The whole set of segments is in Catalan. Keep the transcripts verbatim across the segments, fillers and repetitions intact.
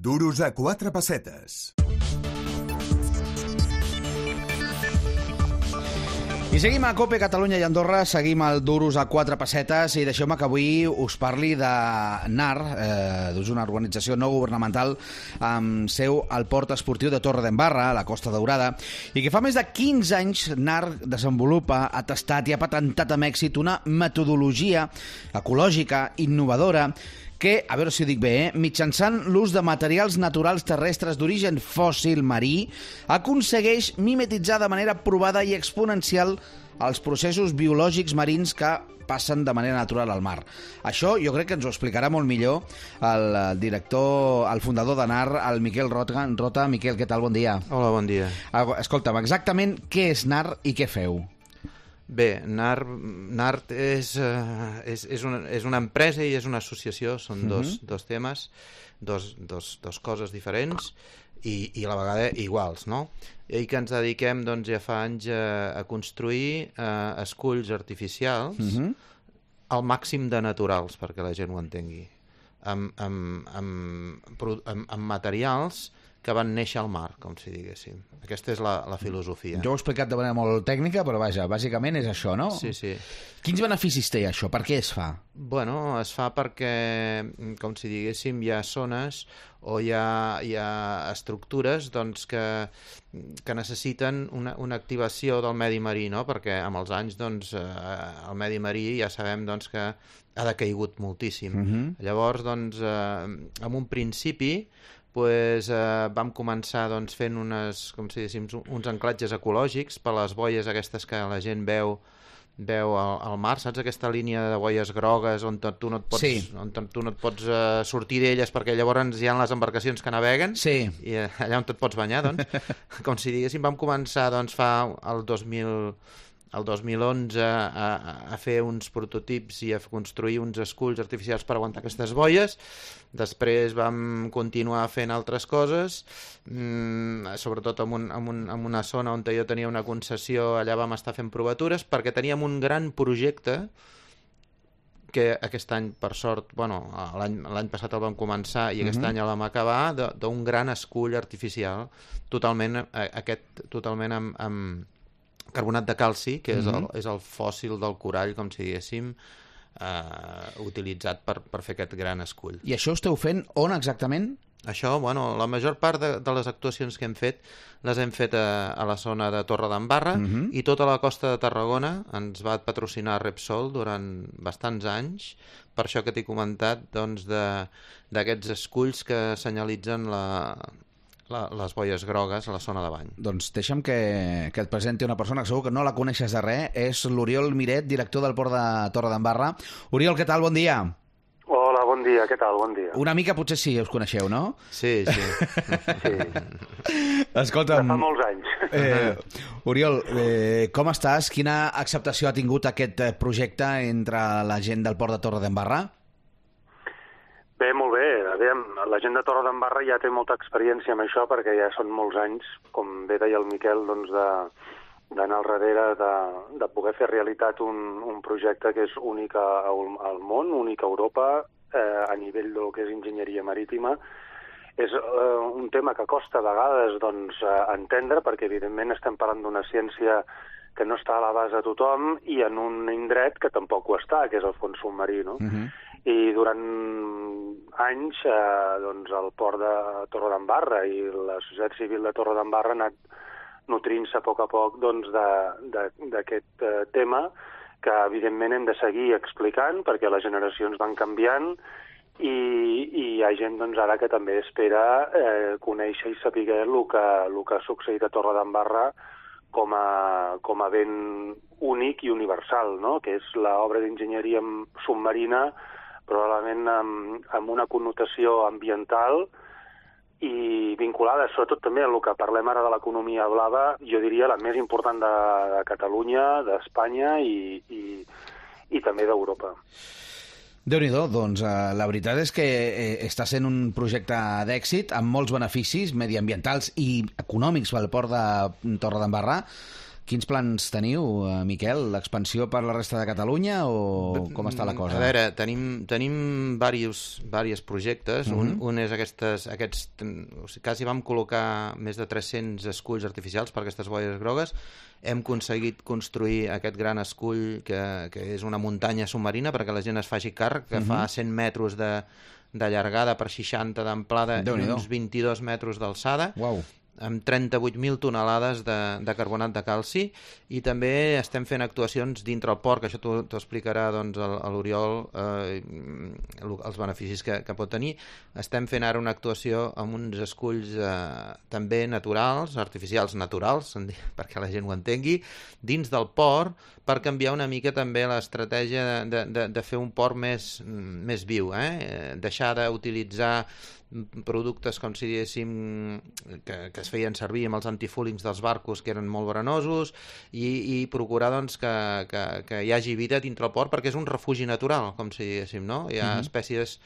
Duros a quatre pessetes. I seguim a COPE Catalunya i Andorra, seguim el Duros a quatre pessetes i deixeu-me que avui us parli de N A R, eh, és una organització no governamental amb seu al port esportiu de Torredembarra, a la Costa Daurada, i que fa més de quinze anys N A R desenvolupa, ha tastat i ha patentat amb èxit una metodologia ecològica innovadora que, a veure si ho dic bé, eh, mitjançant l'ús de materials naturals terrestres d'origen fòssil marí, aconsegueix mimetitzar de manera provada i exponencial els processos biològics marins que passen de manera natural al mar. Això jo crec que ens ho explicarà molt millor el, el director, el fundador de N A R, el Miquel Rota. Rota. Miquel, què tal? Bon dia. Hola, bon dia. Escolta'm, exactament què és N A R i què feu? Bé, N A R, N A R és, uh, és, és, una, és una empresa i és una associació, són uh-huh. dos, dos temes, dos, dos, dos coses diferents i, i a la vegada iguals, no? I que ens dediquem doncs, ja fa anys a, a construir uh, esculls artificials uh-huh. al màxim de naturals, perquè la gent ho entengui, amb, amb, amb, amb, amb materials que van néixer al mar, com si diguéssim. Aquesta és la, la filosofia. Jo ho he explicat de manera molt tècnica, però vaja, bàsicament és això, no? Sí, sí. Quins beneficis té això? Per què es fa? Bueno, es fa perquè, com si diguéssim, hi ha zones o hi ha, hi ha estructures doncs, que, que necessiten una, una activació del medi marí, no? Perquè amb els anys doncs, eh, el medi marí ja sabem doncs, que ha decaigut moltíssim. Uh-huh. Llavors, doncs, eh, en un principi, pues, eh, vam començar doncs, fent unes, com si diguéssim, uns anclatges ecològics per les boies aquestes que la gent veu veu al, al mar, saps aquesta línia de boies grogues on tu no et pots, sí. on tu no et pots uh, sortir d'elles perquè llavors hi ha les embarcacions que naveguen sí. i uh, allà on et pots banyar, doncs, com si diguéssim, vam començar doncs, fa el dos mil el dos mil onze a, a fer uns prototips i a construir uns esculls artificials per aguantar aquestes boies. Després vam continuar fent altres coses, mmm, sobretot en, un, en, un, en una zona on jo tenia una concessió, allà vam estar fent provatures perquè teníem un gran projecte que aquest any, per sort, bueno, l'any passat el vam començar i aquest uh-huh. any el vam acabar, d'un gran escull artificial, totalment, aquest, totalment amb, amb carbonat de calci, que és, el, és el fòssil del corall, com si diguéssim, eh, utilitzat per, per fer aquest gran escull. I això ho esteu fent on exactament? Això, bueno, la major part de, de les actuacions que hem fet les hem fet a, a la zona de Torredembarra uh-huh. i tota la costa de Tarragona ens va patrocinar Repsol durant bastants anys, per això que t'he comentat doncs, d'aquests esculls que senyalitzen la... La, les boies grogues a la zona de bany. Doncs deixa'm que, que et presenti una persona que segur que no la coneixes de res, és l'Oriol Miret, director del port de Torredembarra. Oriol, què tal? Bon dia. Hola, bon dia, què tal? Bon dia. Una mica potser sí, us coneixeu, no? Sí, sí. sí. Escolta'm... De fa molts anys. Eh, Oriol, eh, com estàs? Quina acceptació ha tingut aquest projecte entre la gent del port de Torredembarra? Bé, molt bé. Aviam, la gent de Torredembarra ja té molta experiència amb això perquè ja són molts anys, com bé deia el Miquel, doncs de, d'anar al darrere de, de poder fer realitat un, un projecte que és únic al, al món, únic a Europa, eh, a nivell del que és enginyeria marítima. És eh, un tema que costa a vegades doncs, eh, entendre perquè evidentment estem parlant d'una ciència que no està a l'abast de tothom i en un indret que tampoc ho està, que és el fons submarí, no? Uh-huh. I durant anys eh, doncs el port de Torredembarra i la societat civil de Torredembarra ha anat nutrint-se a poc a poc doncs, d'aquest eh, tema que evidentment hem de seguir explicant perquè les generacions van canviant i, i hi ha gent doncs, ara que també espera eh, conèixer i saber el que, el que ha succeït a Torredembarra com a, com a ben únic i universal, no? Que és l'obra d'enginyeria submarina probablement amb, amb una connotació ambiental i vinculada sobretot també a el que parlem ara de l'economia blava, jo diria la més important de, de Catalunya, d'Espanya i, i, i també d'Europa. Déu-n'hi-do, doncs eh, la veritat és que eh, està sent un projecte d'èxit amb molts beneficis mediambientals i econòmics pel port de Torredembarra Quins plans teniu, eh, Miquel? L'expansió per la resta de Catalunya o com està la cosa? A veure, tenim, tenim diversos, diversos projectes. Uh-huh. un, un és aquestes, aquests... O sigui, quasi vam col·locar més de tres-cents esculls artificials per aquestes boies grogues. Hem aconseguit construir aquest gran escull que, que és una muntanya submarina perquè la gent es faci càrrec, que uh-huh. fa cent metres de, de llargada per seixanta d'amplada i uns vint-i-dos metres d'alçada. Uau. Amb trenta-vuit mil tonelades de, de carbonat de calci, i també estem fent actuacions dintre el port, que això t'ho explicarà doncs, l'Oriol, eh, els beneficis que, que pot tenir. Estem fent ara una actuació amb uns esculls eh, també naturals, artificials naturals, perquè la gent ho entengui, dins del port, per canviar una mica també l'estratègia de, de, de fer un port més, més viu, eh? Deixar d'utilitzar productes com si diguéssim que, que es feien servir amb els antifúlings dels barcos, que eren molt veranosos, i, i procurar doncs, que, que, que hi hagi vida dintre el port, perquè és un refugi natural, com si diguéssim, no? Hi ha uh-huh. espècies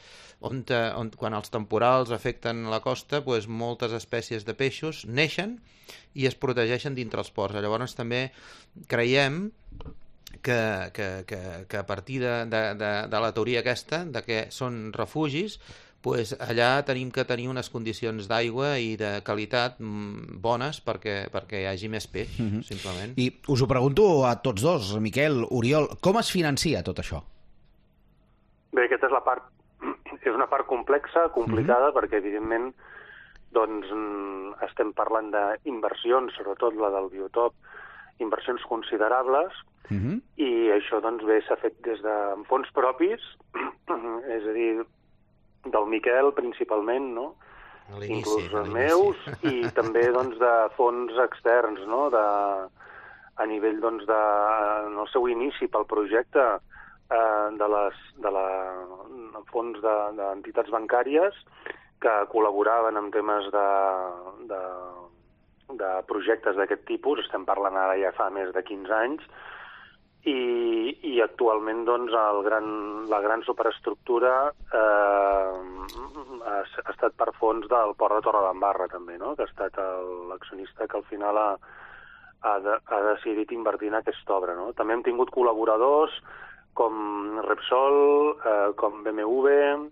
on, on quan els temporals afecten la costa, doncs moltes espècies de peixos neixen i es protegeixen dintre els ports. Llavors també creiem que, que, que, que a partir de, de, de, de la teoria aquesta, de que són refugis, pues allà tenim que tenir unes condicions d'aigua i de qualitat bones perquè, perquè hi hagi més peix, mm-hmm. simplement. I us ho pregunto a tots dos, Miquel, Oriol, com es financia tot això? Bé, aquesta és la part, és una part complexa, complicada, mm-hmm. perquè evidentment doncs, estem parlant d'inversions, sobretot la del biotop, inversions considerables, mm-hmm. i això doncs, bé s'ha fet des de fons propis, és a dir, del Miquel principalment, no? Inclús els meus, i també doncs, de fons externs, no? De, a nivell doncs, de, en el seu inici pel projecte eh, de les de la, fons d'entitats de, bancàries que col·laboraven en temes de, de, de projectes d'aquest tipus. Estem parlant ara ja fa més de quinze anys, I, i actualment doncs, el gran, la gran superestructura eh, ha, ha estat per fons del Port de Torredembarra també, no? Que ha estat l'accionista que al final ha, ha, de, ha decidit invertir en aquesta obra, no? També hem tingut col·laboradors com Repsol, eh, com B M W,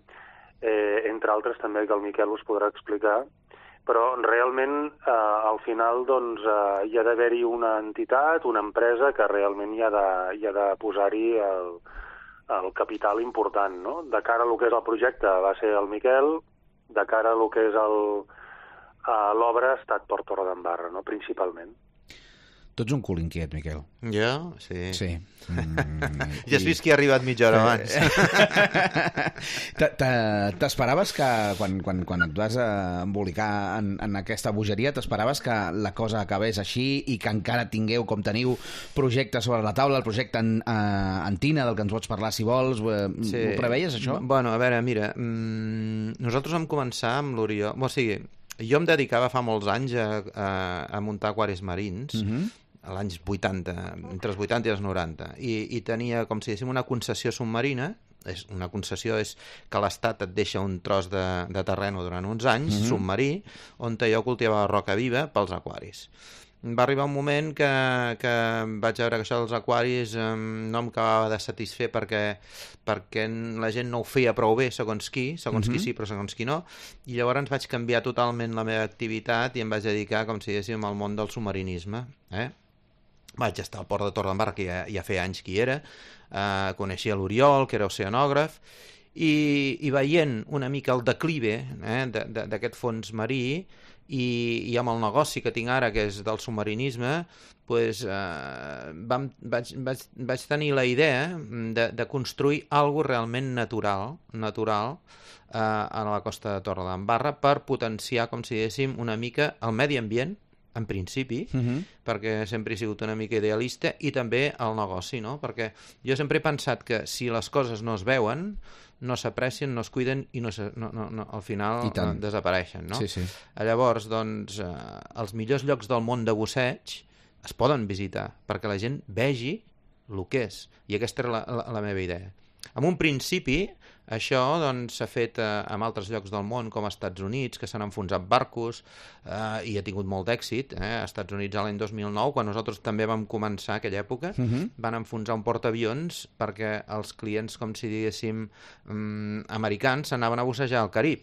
eh, entre altres també que el Miquel us podrà explicar, però realment eh, al final doncs, eh, hi ha d'haver-hi una entitat, una empresa que realment hi ha de, hi ha de posar-hi el, el capital important, no? De cara a lo que és el projecte va ser el Miquel, de cara a lo que és l'obra ha estat Port Torredembarra, no? Principalment. Tu ets un cul inquiet, Miquel. Jo? Sí. Sí. Mm, ja has vist que ha arribat mitja hora abans. T'esperaves que, quan, quan, quan et vas embolicar en, en aquesta bogeria, t'esperaves que la cosa acabés així i que encara tingueu, com teniu, projectes sobre la taula, el projecte en, uh, Antina, del que ens pots parlar, si vols. Sí. Ho preveies, això? Bueno, a veure, mira, mmm, nosaltres vam començar amb l'Oriol... O sigui, jo em dedicava fa molts anys a, a, a muntar aquaris marins, mm-hmm. a l'anys vuitanta, entre els vuitanta i els noranta, i, i tenia, com si diguéssim, una concessió submarina. És, una concessió és que l'Estat et deixa un tros de, de terreno durant uns anys, mm-hmm. submarí, on jo cultivava roca viva pels aquaris. Va arribar un moment que, que vaig veure que això dels aquaris eh, no em acabava de satisfer perquè, perquè la gent no ho feia prou bé, segons qui, segons mm-hmm. qui sí, però segons qui no, i llavors vaig canviar totalment la meva activitat i em vaig dedicar, com si diguéssim, al món del submarinisme. Eh? Vaig estar al Port de Torredembarra, que ja, ja feia anys que hi era, eh, coneixia l'Oriol, que era oceanògraf, i, i veient una mica el declive eh, d'aquest fons marí, i, i amb el negoci que tinc ara, que és del submarinisme, pues, eh, vam, vaig, vaig, vaig tenir la idea de, de construir alguna realment natural, natural eh, a la costa de Torredembarra per potenciar, com si diguéssim, una mica el medi ambient, en principi, uh-huh. perquè sempre he sigut una mica idealista, i també el negoci, no? Perquè jo sempre he pensat que si les coses no es veuen, no s'aprecien, no es cuiden i no, se, no, no, no, al final eh, desapareixen, no? Sí, sí. Llavors, doncs, eh, els millors llocs del món de busseig es poden visitar perquè la gent vegi el que és, i aquesta era la, la, la meva idea. en un principi, això doncs, s'ha fet eh, en altres llocs del món, com als Estats Units, que s'han enfonsat barcos eh, i ha tingut molt d'èxit. Eh? Als Estats Units l'any dos mil nou, quan nosaltres també vam començar aquella època, uh-huh. van enfonsar un portaavions perquè els clients, com si diguéssim, um, americans, s'anaven a bussejar al Carib.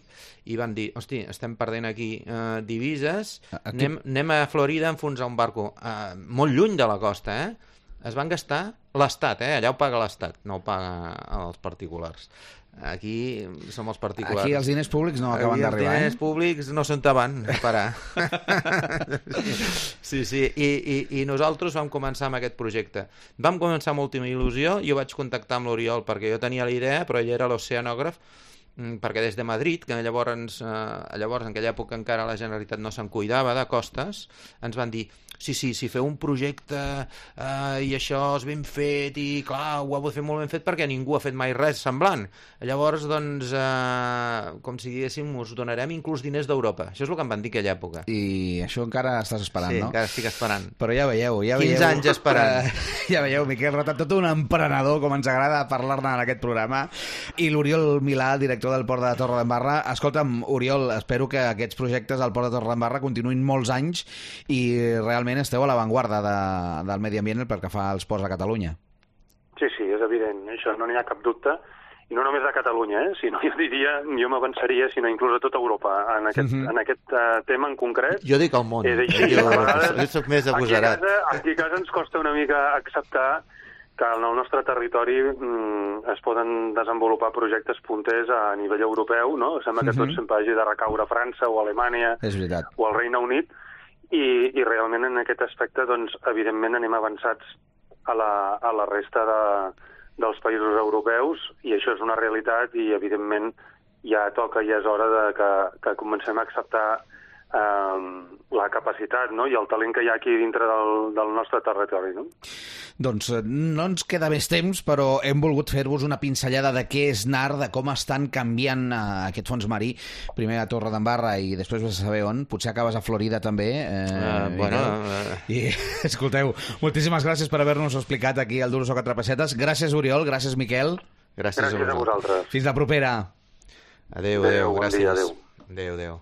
I van dir, hosti, estem perdent aquí eh, divises, aquí... Anem, anem a Florida a enfonsar un barco. Eh, molt lluny de la costa, eh? Es van gastar l'Estat, eh? Allà ho paga l'Estat, no ho paga els particulars. Aquí som els particulars. Aquí els diners públics no acaben d'arribar, eh? Els diners públics no són davant, a parar. Sí, sí, I, i, i nosaltres vam començar amb aquest projecte. Vam començar amb última il·lusió, jo vaig contactar amb l'Oriol perquè jo tenia la idea, però ell era l'oceanògraf, perquè des de Madrid, que llavors, eh, llavors en aquella època encara la Generalitat no se'n cuidava de costes, ens van dir, sí, sí, si feu un projecte eh, i això és ben fet i clar, ho heu fet molt ben fet perquè ningú ha fet mai res semblant. Llavors, doncs, eh, com si diguéssim, us donarem inclús diners d'Europa. Això és el que em van dir aquella època. I això encara estàs esperant, sí, no? Sí, encara estic esperant. Però ja veieu, ja veieu... quinze anys esperant. Ja veieu, Miquel Rotat, tot un emprenedor, com ens agrada parlar-ne en aquest programa. I l'Oriol Milà, director del Port de Torredembarra. Escolta'm, Oriol, espero que aquests projectes al Port de Torredembarra continuïn molts anys i realment esteu a l'avantguarda de, del medi ambient pel que fa als ports de Catalunya. Sí, sí, és evident, això no n'hi ha cap dubte, i no només de Catalunya, eh? Sinó jo diria, jo m'avançaria, sinó inclús a tota Europa, en aquest, uh-huh. en aquest uh, tema en concret. Jo dic al món, eh, jo, jo, jo soc més agosarat. Aquí a, casa, aquí a casa ens costa una mica acceptar que en el nostre territori mm, es poden desenvolupar projectes punters a nivell europeu, no? Sembla que uh-huh. tot sempre hagi de recaure a França o a Alemanya o al Regne Unit, i, i realment en aquest aspecte, doncs, evidentment anem avançats a la, a la resta de, dels països europeus, i això és una realitat, i evidentment ja toca, ja és hora de que, que comencem a acceptar eh, la capacitat, no? I el talent que hi ha aquí dintre del, del nostre territori, no? Doncs no ens queda més temps, però hem volgut fer-vos una pinzellada de què és N A R, de com estan canviant uh, aquest fons marí, primer a Torredembarra i després vas a saber on, potser acabes a Florida també. Eh, uh, bueno... Uh... I, escolteu, moltíssimes gràcies per haver-nos explicat aquí al Duros o Quatre Pessetes. Gràcies, Oriol, gràcies, Miquel. Gràcies, gràcies a vosaltres. Fins la propera. Adéu, adéu, adéu, gràcies. Bon dia, adéu. Adéu, adéu.